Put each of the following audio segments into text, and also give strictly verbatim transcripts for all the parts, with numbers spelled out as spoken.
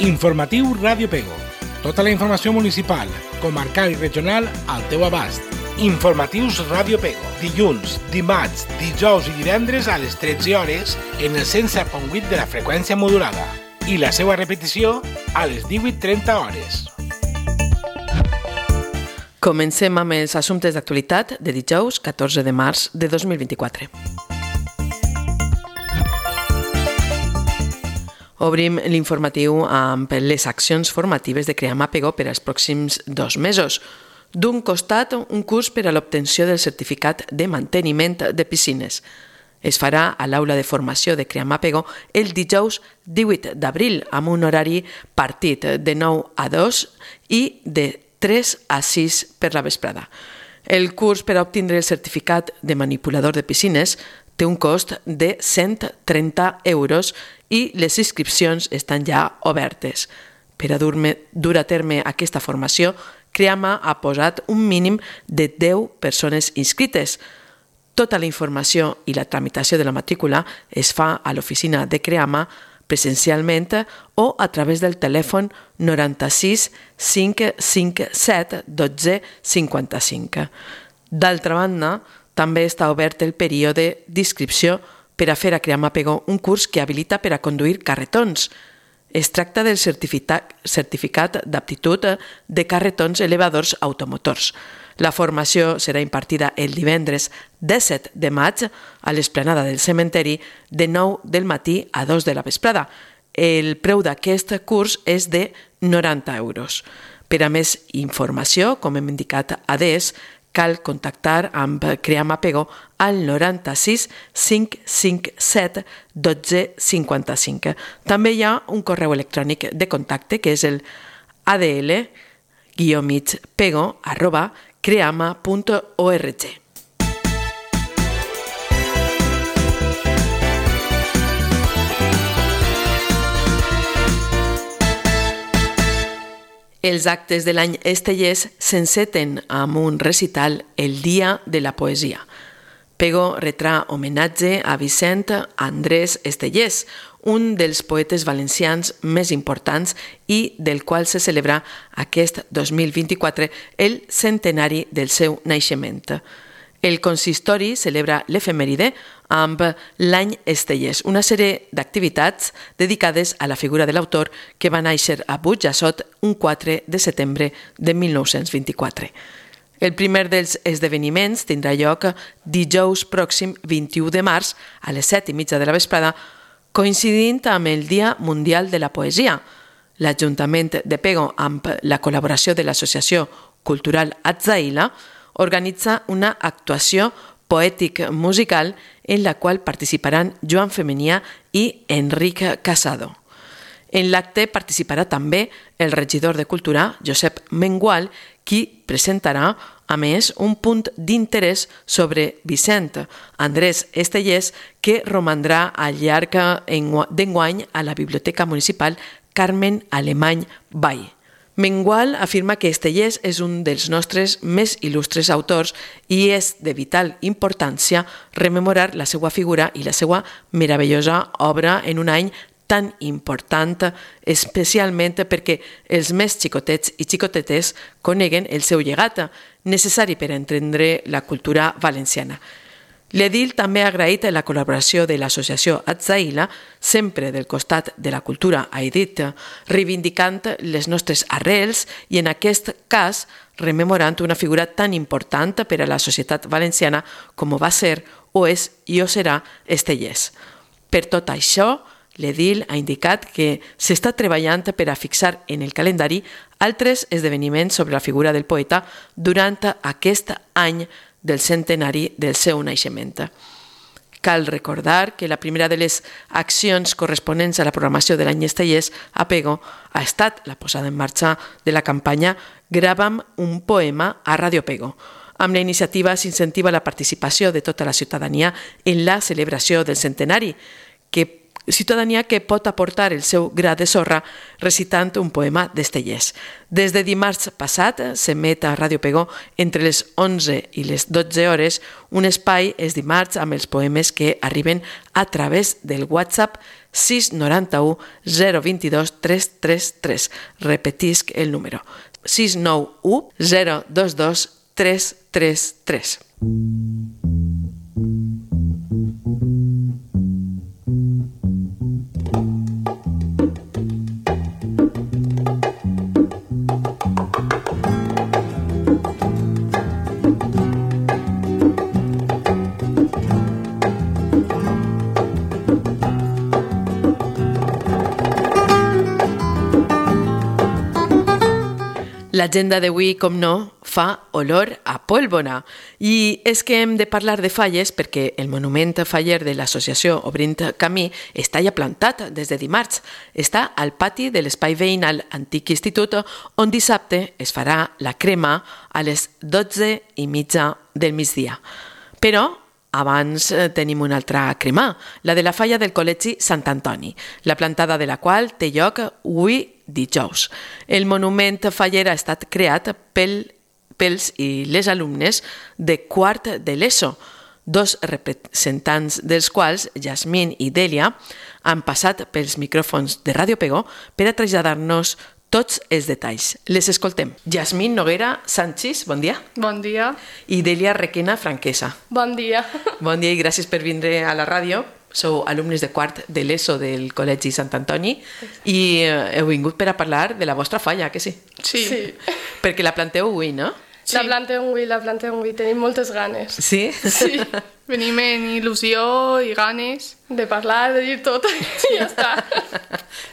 Informatiu Ràdio Pego. Tota la informació municipal, comarcal i regional al teu abast. Informatius Ràdio Pego. Dilluns, dimarts, dijous i divendres a les tretze hores en el cent set punt vuit de la freqüència modulada. I la seva repetició a les divuit trenta hores. Comencem amb els assumptes d'actualitat de dijous catorze de març de dos mil vint-i-quatre. Obrim l'informatiu amb les accions formatives de Creama Pego per als pròxims dos mesos. D'un costat, un curs per a l'obtenció del certificat de manteniment de piscines. Es farà a l'aula de formació de Creama Pego el dijous divuit d'abril amb un horari partit de nou a dos i de tres a sis per la vesprada. El curs per a obtindre el certificat de manipulador de piscines té un cost de cent trenta euros i les inscripcions estan ja obertes. Per a dur a terme aquesta formació, Creama ha posat un mínim de deu persones inscrites. Tota la informació i la tramitació de la matrícula es fa a l'oficina de Creama presencialment o a través del telèfon noranta-sis cinc cinc set dotze cinquanta-cinc. D'altra banda, també està obert el període d'inscripció per a fer a Creama Pego un curs que habilita per a conduir carretons. Es tracta del certificat, certificat d'aptitud de carretons elevadors automotors. La formació serà impartida el divendres disset de maig a l'esplanada del cementeri de nou del matí a dos de la vesprada. El preu d'aquest curs és de noranta euros. Per a més informació, com hem indicat adés, cal contactar amb Creama Pego al noranta-sis cinc cinc set dotze cinquanta-cinc. També hi ha un correu electrònic de contacte que és el a d l guió mig pego arroba creama punt org. Els actes de l'any estellès s'enceten amb un recital el Dia de la Poesia. Pego retrà homenatge a Vicent Andrés Estellés, un dels poetes valencians més importants i del qual se celebra aquest dos mil vint-i-quatre el centenari del seu naixement. El consistori celebra l'efemèride amb l'any estellès, una sèrie d'activitats dedicades a la figura de l'autor que va néixer a Burjassot un quatre de setembre de mil nou-cents vint-i-quatre. El primer dels esdeveniments tindrà lloc dijous pròxim vint-i-u de març a les set i mitja de la vesprada, coincidint amb el Dia Mundial de la Poesia. L'Ajuntament de Pego, amb la col·laboració de l'Associació Cultural Atzaïla, organitza una actuació poètic-musical en la qual participaran Joan Femenià i Enric Casado. En l'acte participarà també el regidor de Cultura, Josep Mengual, qui presentarà, a més, un punt d'interès sobre Vicent Andrés Estellés que romandrà al llarg d'enguany a la Biblioteca Municipal Carmen Alemany Vall. Mengual afirma que Estellés és un dels nostres més il·lustres autors i és de vital importància rememorar la seva figura i la seva meravellosa obra en un any tan important, especialment perquè els més xicotets i xicotetes coneguen el seu llegat, necessari per entendre la cultura valenciana. L'edil també ha agraït la col·laboració de l'associació Atzaïla, sempre del costat de la cultura, ha dit, reivindicant les nostres arrels i, en aquest cas, rememorant una figura tan important per a la societat valenciana com va ser, o és i o serà Estellés. Per tot això, l'edil ha indicat que s'està treballant per a fixar en el calendari altres esdeveniments sobre la figura del poeta durant aquest any del centenari del seu naixement. Cal recordar que la primera de les accions corresponents a la programació de l'any estellès a Pego ha estat la posada en marxa de la campanya Grava'm un poema a Ràdio Pego. Amb la iniciativa s'incentiva la participació de tota la ciutadania en la celebració del centenari, que ciutadania que pot aportar el seu gra de sorra recitant un poema d'Estellés. Des de dimarts passat s'emet a Ràdio Pegó entre les onze i les dotze hores un espai els dimarts amb els poemes que arriben a través del WhatsApp sis nou u zero dos dos tres tres tres. Repetisc el número. sis nou u zero dos dos tres tres tres. L'agenda d'avui, com no, fa olor a pólvora. I és que hem de parlar de falles perquè el monument faller de l'associació Obrint Camí està ja plantat des de dimarts. Està al pati de l'espai veïnal Antic Institut, on dissabte es farà la crema a les dotze i mitja del migdia. Però abans tenim una altra crema, la de la falla del Col·legi Sant Antoni, la plantada de la qual té lloc avui dijous. El monument faller ha estat creat pel, pels i les alumnes de quart de l'ESO, dos representants dels quals, Yasmín i Dèlia, han passat pels micròfons de Ràdio Pegó per a traslladar-nos tots els detalls. Les escoltem. Yasmín Noguera Sánchez, bon dia. Bon dia. I Dèlia Requena Franquesa. Bon dia. Bon dia i gràcies per vindre a la ràdio. Sou alumnes de quart de l'ESO del Col·legi Sant Antoni i heu vingut per a parlar de la vostra falla, que sí? Sí. sí. Perquè la planteu avui, no? Sí. La plantem avui, la plantem avui. Tenim moltes ganes. Sí? Sí. Venim en il·lusió i ganes de parlar, de dir tot i ja està.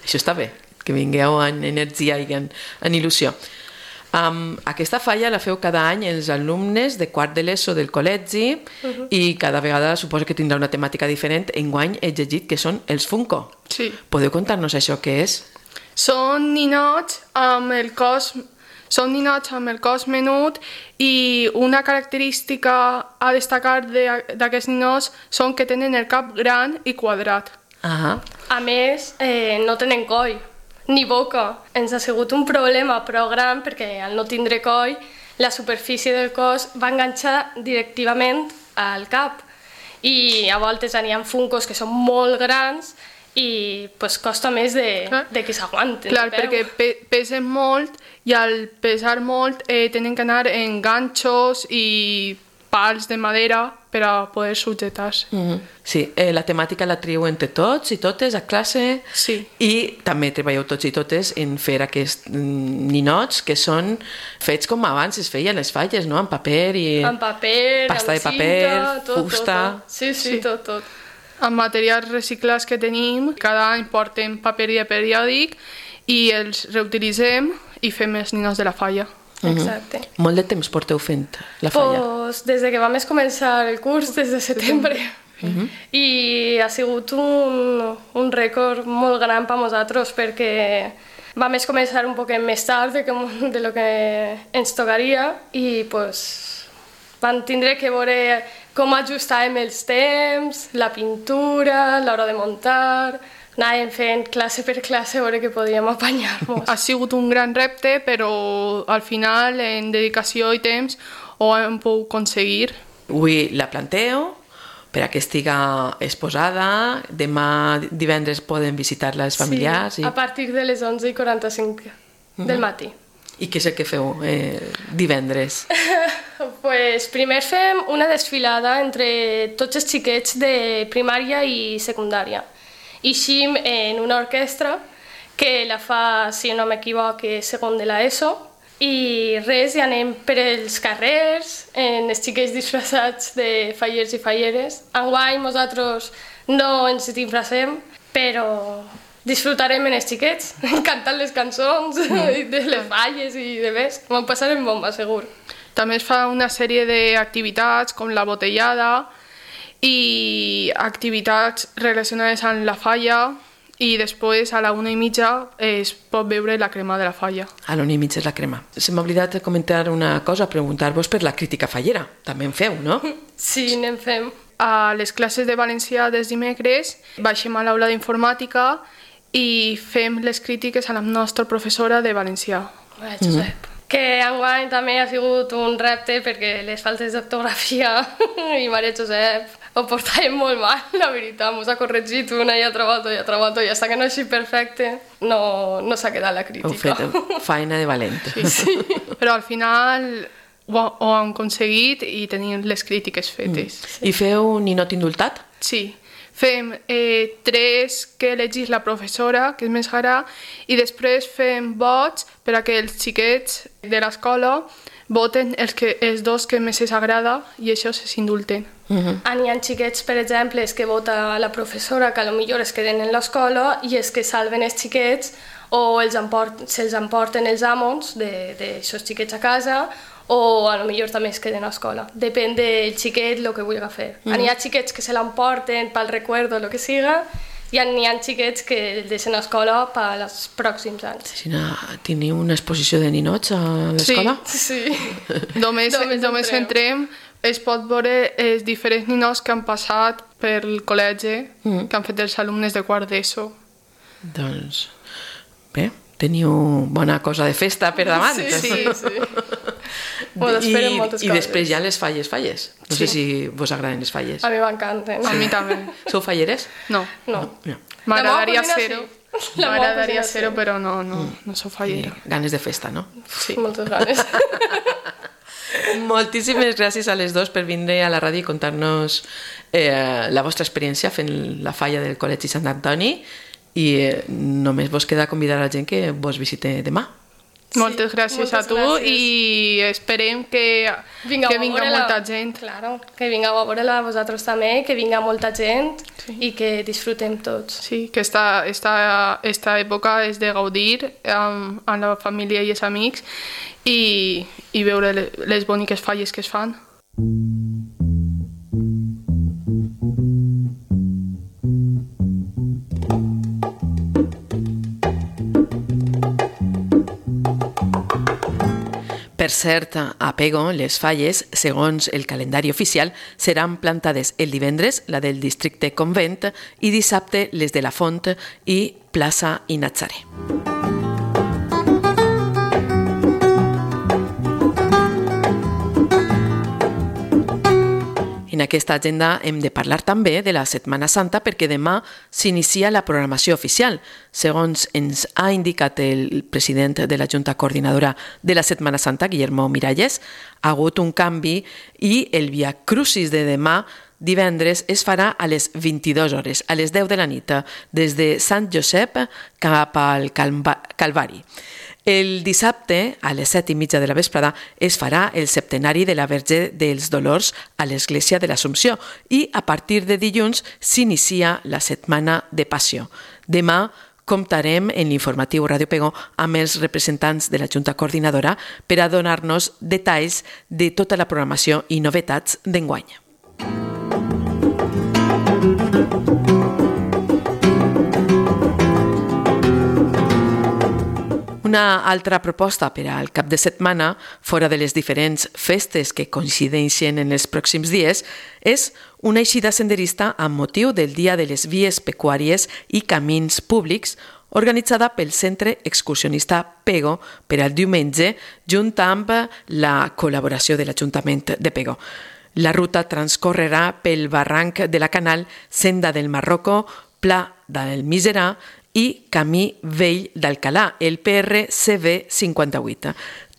Això està bé, que vingueu en energia i en, en il·lusió. Um, aquesta falla la feu cada any els alumnes de quart de l'ESO del col·legi uh-huh. i cada vegada suposo que tindrà una temàtica diferent. Enguany he llegit que són els Funko. Sí. Podeu contar-nos això què és? Són ninots amb el cos, són ninots amb el cos menut i una característica a destacar d'aquests ninots són que tenen el cap gran i quadrat. Uh-huh. A més, eh, no tenen coll ni boca. Ens ha sigut un problema prou gran perquè al no tindre coll la superfície del cos va enganxar directament al cap i a voltes n'hi ha Funkos que són molt grans i pues, costa més de, de que s'aguanten. Clar, perquè pe pesen molt i al pesar molt eh, tenen que anar en ganxos i pals de madera per a poder subjetar-se. Mm-hmm. Sí, eh, la temàtica la trieu entre tots i totes a classe. Sí. I també treballeu tots i totes en fer aquests ninots que són fets com abans es feien les falles, no? Amb paper i... Amb paper, pasta amb de paper, cinta, tot, fusta... Tot, tot. Sí, sí, sí, tot, tot. Amb materials reciclats que tenim, cada any portem paper de periòdic i els reutilitzem i fem els ninots de la falla. Exacte. Uh-huh. Molt de temps porteu fent la falla? Pues des de que vam començar el curs, des de setembre. Uh-huh. I ha sigut un, un rècord molt gran per nosaltres perquè vam començar un poc més tard de, que, de lo que ens tocaria i pues, vam tindre que veure com ajustàvem els temps, la pintura, l'hora de muntar... Anàvem fent classe per classe a veure que podíem apanyar-nos. Ha sigut un gran repte, però al final, en dedicació i temps, ho hem pogut aconseguir. Avui la planteu per a que estiga exposada. Demà divendres poden visitar-la els familiars. Sí, i... a partir de les onze i quaranta-cinc uh-huh. del matí. I què és el que feu eh, divendres? Pues primer fem una desfilada entre tots els xiquets de primària i secundària. Ixim en una orquestra que la fa, si no m'equivoc, segon de l'ESO i res, i anem per els carrers, en els xiquets disfressats de fallers i falleres. Enguany nosaltres no ens disfressem, però disfrutarem en els xiquets, cantant les cançons mm. de les falles i de més. M'ho passarem bomba, segur. També es fa una sèrie d'activitats com la botellada, i activitats relacionades amb la falla i després a la una i mitja es pot veure la crema de la falla. A la una i mitja és la crema. Se m'ha oblidat de comentar una cosa, preguntar-vos per la crítica fallera. També en feu, no? Sí, n'en fem. a les classes de valencià dels dimecres baixem a l'aula d'informàtica i fem les crítiques a la nostra professora de valencià. Bé, Josep. Mm. Que enguany també ha sigut un repte perquè les faltes d'ortografia i Maria Josep ho portàvem molt mal, la veritat. Ens ha corregit una i altra volta i altra volta i fins que no és perfecte no, no s'ha quedat la crítica. Heu fet feina de valent. Sí, sí. Però al final ho, ho han aconseguit i tenim les crítiques fetes. Mm. I feu ninot indultat? Sí. Fem eh, tres que elegís la professora, que és més gara, i després fem vots per a que els xiquets de l'escola voten els, que, els dos que més els agrada i això s'indulten. Uh-huh. Hi ha xiquets, per exemple, que vota la professora, que potser es queden en l'escola i és que salven els xiquets o els emport, se'ls emporten els amos d'aixòs xiquets a casa o a lo millor també es queden a l'escola. Depèn del xiquet el que vulgui fer. Mm. Hi ha xiquets que se l'emporten pel recuerdo o el que siga i hi ha xiquets que el deixen a l'escola pels pròxims anys. Sí, teniu una exposició de ninots a l'escola? Sí, sí. només, només, només entrem, es pot veure els diferents ninots que han passat pel col·legi, mm. que han fet els alumnes de quart d'ESO. Doncs, bé, teniu bona cosa de festa per davant. Sí, sí, sí. I, I després hi ha les falles, falles. No sí. sé si vos agraden les falles. A mi m'encanten. A mi també. Sou falleres? No. No. no. M'agradaria ser-ho. Sí. M'agradaria ser-ho, però no, no, no sou fallera. I ganes de festa, no? Sí, moltes ganes. Moltíssimes gràcies a les dos per vindre a la ràdio i contar-nos eh, la vostra experiència fent la falla del Col·legi Sant Antoni i eh, només vos queda convidar a la gent que vos visite demà. Sí, moltes gràcies moltes a tu gràcies. I esperem que, vinga que vinga molta la... gent. Claro, que vingueu a veure-la vosaltres també, que vinga molta gent sí. I que disfrutem tots. Sí, que esta, esta, esta època és de gaudir amb, amb la família i els amics i, i veure les boniques falles que es fan. Per cert, a Pego, les falles, segons el calendari oficial, seran plantades el divendres, la del districte Convent, i dissabte les de la Font i plaça i Natzaré. En aquesta agenda hem de parlar també de la Setmana Santa perquè demà s'inicia la programació oficial. Segons ens ha indicat el president de la Junta Coordinadora de la Setmana Santa, Guillermo Miralles, ha hagut un canvi i el Via Crucis de demà divendres es farà a les vint-i-dues hores, a les deu de la nit, des de Sant Josep cap al Calvari. El dissabte, a les set i mitja de la vesprada, es farà el septenari de la Verge dels Dolors a l'Església de l'Assumpció i a partir de dilluns s'inicia la Setmana de Passió. Demà comptarem en l'informatiu Ràdio Pego amb els representants de la Junta Coordinadora per a donar-nos detalls de tota la programació i novetats d'enguany. Una altra proposta per al cap de setmana, fora de les diferents festes que coincideixen en els pròxims dies, és una eixida senderista amb motiu del Dia de les Vies Pecuàries i Camins Públics, organitzada pel Centre Excursionista Pego per al diumenge, junt amb la col·laboració de l'Ajuntament de Pego. La ruta transcorrerà pel barranc de la Canal, Senda del Marroco, Pla del Miserà i Camí Vell d'Alcalà, el P R C V cinquanta-vuit.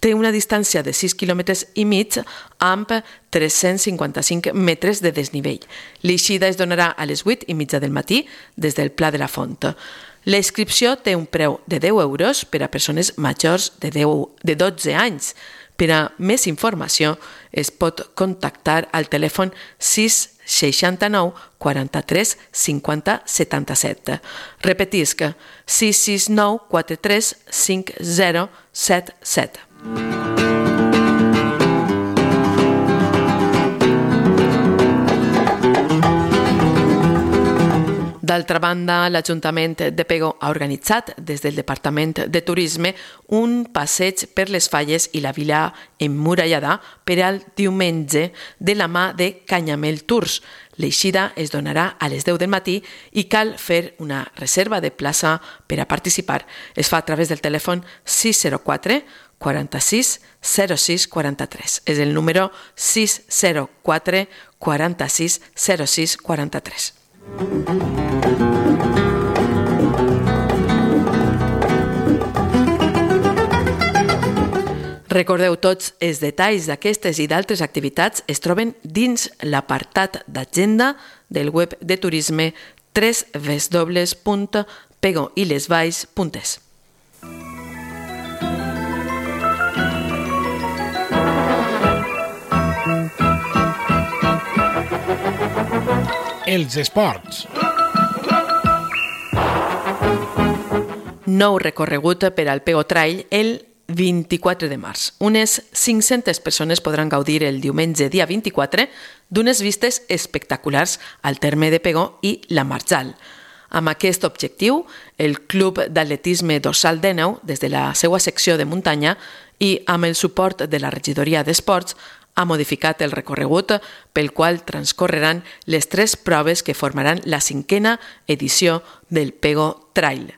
Té una distància de sis quilòmetres i mig amb tres-cents cinquanta-cinc metres de desnivell. L'eixida es donarà a les vuit i mitja del matí des del Pla de la Font. La inscripció té un preu de deu euros per a persones majors de, deu, de dotze anys. Per a més informació es pot contactar al telèfon sis seixanta-nou quaranta-tres cinquanta setanta-set. Repetisc, sis sis nou quatre tres cinc zero set set. D'altra banda, l'Ajuntament de Pego ha organitzat des del Departament de Turisme un passeig per les falles i la vila emmurallada per al diumenge de la mà de Canyamel Tours. L'eixida es donarà a les deu del matí i cal fer una reserva de plaça per a participar. Es fa a través del telèfon sis zero quatre quaranta-sis zero sis quaranta-tres. És el número sis zero quatre quaranta-sis zero sis quaranta-tres. Recordeu, tots els detalls d'aquestes i d'altres activitats es troben dins l'apartat d'agenda del web de turisme w w w punt pego i les valls punt es. Els esports. Nou recorregut per al Pego Trail el vint-i-quatre de març. Unes cinc-centes persones podran gaudir el diumenge dia vint-i-quatre d'unes vistes espectaculars al terme de Pego i la Marjal. Amb aquest objectiu, el Club d'Atletisme Dorsal d'Éneu, des de la seva secció de muntanya i amb el suport de la Regidoria d'Esports, ha modificat el recorregut pel qual transcorreran les tres proves que formaran la cinquena edició del Pego Trail.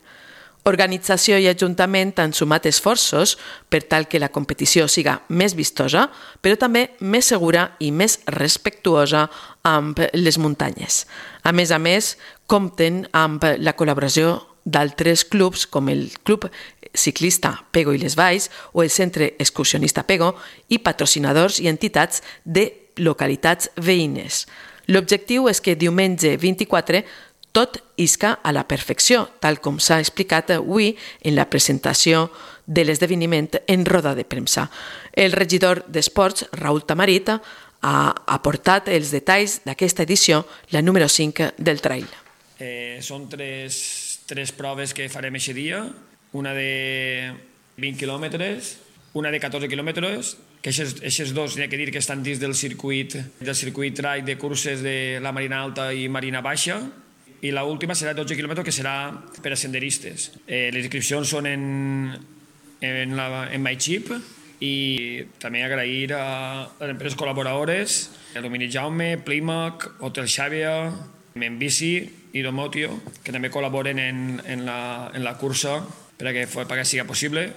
Organització i Ajuntament han sumat esforços per tal que la competició siga més vistosa, però també més segura i més respectuosa amb les muntanyes. A més a més, compten amb la col·laboració d'altres clubs com el Club Ciclista Pego i les Valls o el Centre Excursionista Pego i patrocinadors i entitats de localitats veïnes. L'objectiu és que diumenge vint-i-quatre tot isca a la perfecció, tal com s'ha explicat avui en la presentació de l'esdeveniment en roda de premsa. El regidor d'Esports, Raül Tamarit, ha aportat els detalls d'aquesta edició, la número cinc del trail. Eh, són tres, tres proves que farem aquest dia, una de vint quilòmetres, una de catorze quilòmetres, que aquests dos hi ha que dir que estan dins del circuit, del circuit trail de curses de la Marina Alta i Marina Baixa, i l'última serà dotze quilòmetres, que serà per a senderistes. Eh, les inscripcions són en, en, la, en MyChip, i també agrair a les empreses col·laboradores, el Domini Jaume, Plimac, Hotel Xàbia, Membici i Domotio, que també col·laboren en, en, la, en la cursa perquè, perquè sigui possible.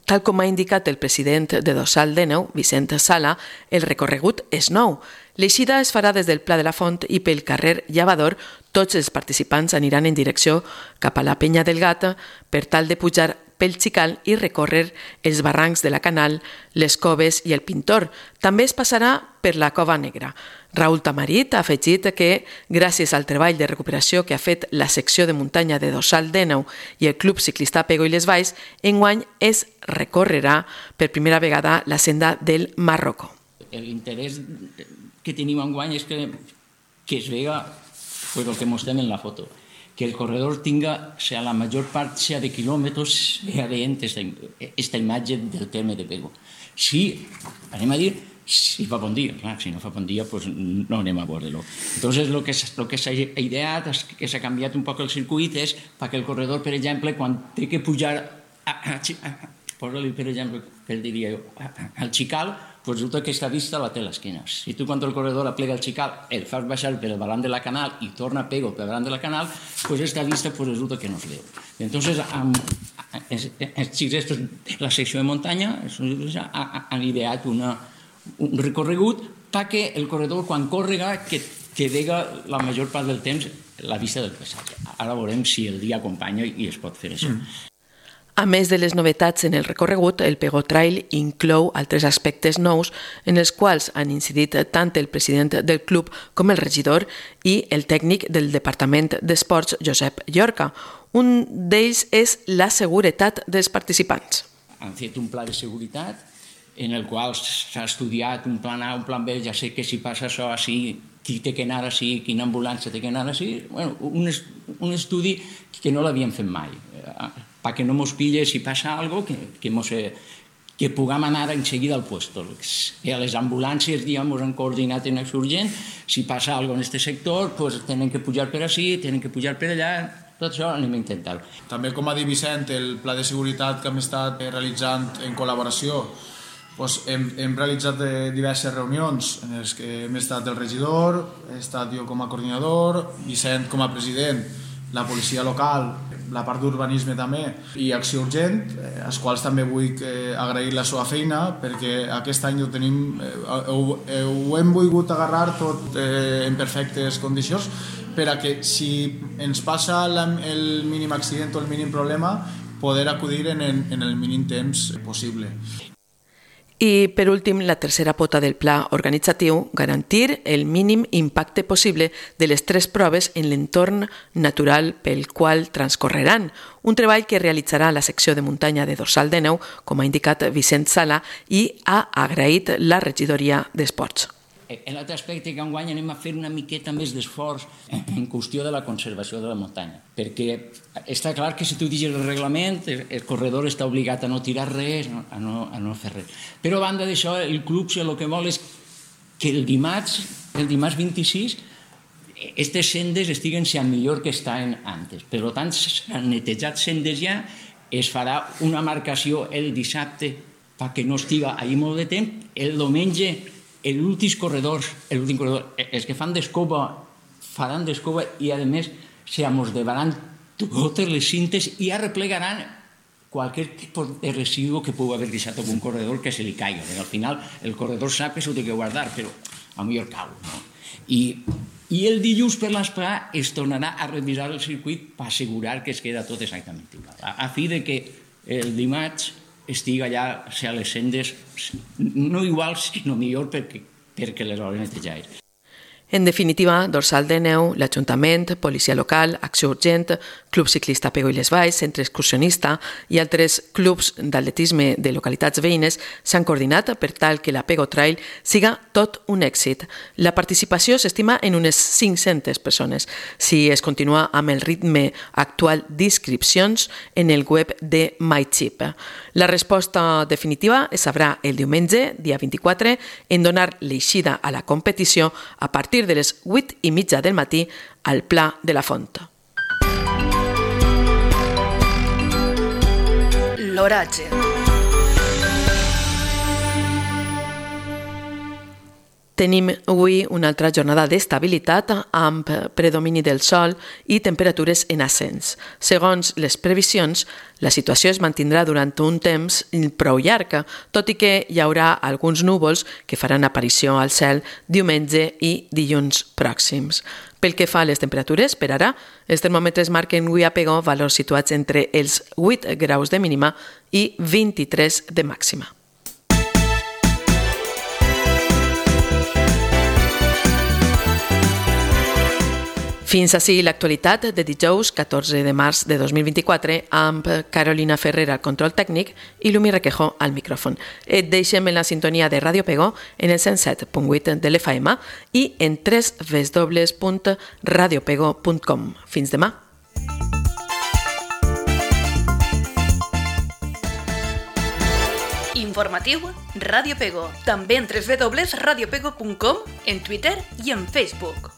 Tal com ha indicat el president de Dorsal d'Éneu, Vicent Sala, el recorregut és nou. L'eixida es farà des del Pla de la Font i pel carrer Llavador. Tots els participants aniran en direcció cap a la Penya del Gat per tal de pujar pel Xical i recórrer els barrancs de la Canal, les Coves i el Pintor. També es passarà per la Cova Negra. Raül Tamarit ha afegit que, gràcies al treball de recuperació que ha fet la secció de muntanya de Dorsal d'Éneu i el Club Ciclista Pego i les Valls, enguany es recorrerà per primera vegada la senda del Marroco. L'interès que tenim enguany és que, que es vega pues, el que mostrem en la foto, que el corredor tinga, o sea, la major part sea de quilòmetres, vea veient esta, esta imatge del terme de Pego. Sí, anem a dir, si fa bon dia, clar, si no fa bon dia, pues no anem a veure-lo. Entonces, lo que, lo que s'ha ideat, és que s'ha canviat un poc el circuit, és perquè el corredor, per exemple, quan té que pujar, a, a, a, posa-li, per exemple, per diria jo, al Xical, pues resulta que aquesta vista la té a l'esquena. Si tu quan el corredor aplega el Xical, el fas baixar per el balant de la Canal i torna a Pego per el balant de la Canal, pues esta vista pues resulta que no es veu. Entonces, amb, els xics de la secció de muntanya han ideat una, un recorregut perquè el corredor, quan córrega, que, que vega la major part del temps la vista del paisatge. Ara veurem si el dia acompanya i es pot fer això. Mm. A més de les novetats en el recorregut, el Pego Trail inclou altres aspectes nous en els quals han incidit tant el president del club com el regidor i el tècnic del Departament d'Esports, Josep Llorca. Un d'ells és la seguretat dels participants. Han fet un pla de seguretat en el qual s'ha estudiat un plan A, un plan B, ja sé que si passa això així, qui té que anar així, quina ambulància té que anar així. Bueno, un, un estudi que no l'havíem fet mai, perquè no mos pille si passa alguna cosa, que, que, mos, que puguem anar en seguida al puesto. I a les ambulàncies, diguem, han coordinat en acció urgent, si passa alguna cosa en aquest sector, pues, tenen que pujar per així, tenen que pujar per allà, tot això anem a intentar. També, com ha dit Vicent, el pla de seguretat que hem estat realitzant en col·laboració Pues hem, hem realitzat diverses reunions en les que hem estat el regidor, he estat jo com a coordinador, Vicent com a president, la policia local, la part d'urbanisme també i Acció Urgent, eh, als quals també vull eh, agrair la seva feina perquè aquest any ho tenim, eh, ho, eh, ho hem volgut agarrar tot eh, en perfectes condicions per a que si ens passa la, el mínim accident o el mínim problema poder acudir en, en, en el mínim temps possible. I, per últim, la tercera pota del pla organitzatiu, garantir el mínim impacte possible de les tres proves en l'entorn natural pel qual transcorreran, un treball que realitzarà la secció de muntanya de Dorsal de Neu, com ha indicat Vicent Sala, i ha agraït la regidoria d'Esports. En l'altre aspecte que enguany anem a fer una miqueta més d'esforç en qüestió de la conservació de la muntanya, perquè està clar que si tu digues el reglament, el corredor està obligat a no tirar res, a no, a no fer res. Però a banda d'això, el club el que vol és que el dimarts, el dimarts vint-i-sis, aquestes sendes estiguen ja millor que estaven antes. Per tant, s'han netejat sendes ja, es farà una marcació el dissabte perquè no estiga allà molt de temps, el diumenge l'últim corredor, l'últim corredor, els que fan d'escova, faran d'escova i, a més, se amosdevaran totes les cintes i arreplegaran qualsevol tipus de residu que pugui haver deixat algun corredor que se li caigui. Al final, el corredor sap que s'ho té que guardar, però a millor cau. I, i el dilluns per l'esprà es tornarà a revisar el circuit per assegurar que es queda tot exactament igual. A, a fi de que el dimarts estiga allà a les sendes, no iguals, sinó millor perquè, perquè les hores netejades. En definitiva, Dorsal de Neu, l'Ajuntament, Policia Local, Acció Urgent, Club Ciclista Pego i les Valls, Centre Excursionista i altres clubs d'atletisme de localitats veïnes s'han coordinat per tal que la Pego Trail siga tot un èxit. La participació s'estima en unes cinc-centes persones, si es continua amb el ritme actual d'inscripcions en el web de MyChip. La resposta definitiva es sabrà el diumenge, dia vint-i-quatre, en donar l'eixida a la competició a partir de les vuit i mitja del matí al Pla de la Font. L'oratge. Tenim avui una altra jornada d'estabilitat amb predomini del sol i temperatures en ascens. Segons les previsions, la situació es mantindrà durant un temps prou llarg, tot i que hi haurà alguns núvols que faran aparició al cel diumenge i dilluns pròxims. Pel que fa a les temperatures, per ara, els termòmetres marquen avui a Pego valors situats entre els vuit graus de mínima i vint-i-tres de màxima. Fins ací l'actualitat de dijous catorze de març de dos mil vint-i-quatre amb Carolina Ferrer al control tècnic i Lumi Requejo al micròfon. Et deixem en la sintonia de Ràdio Pego en el cent set punt vuit de l'F M i en w w w punt radiopego punt com. Fins demà. Informatiu Ràdio Pego, també en w w w punt radiopego punt com, en Twitter i en Facebook.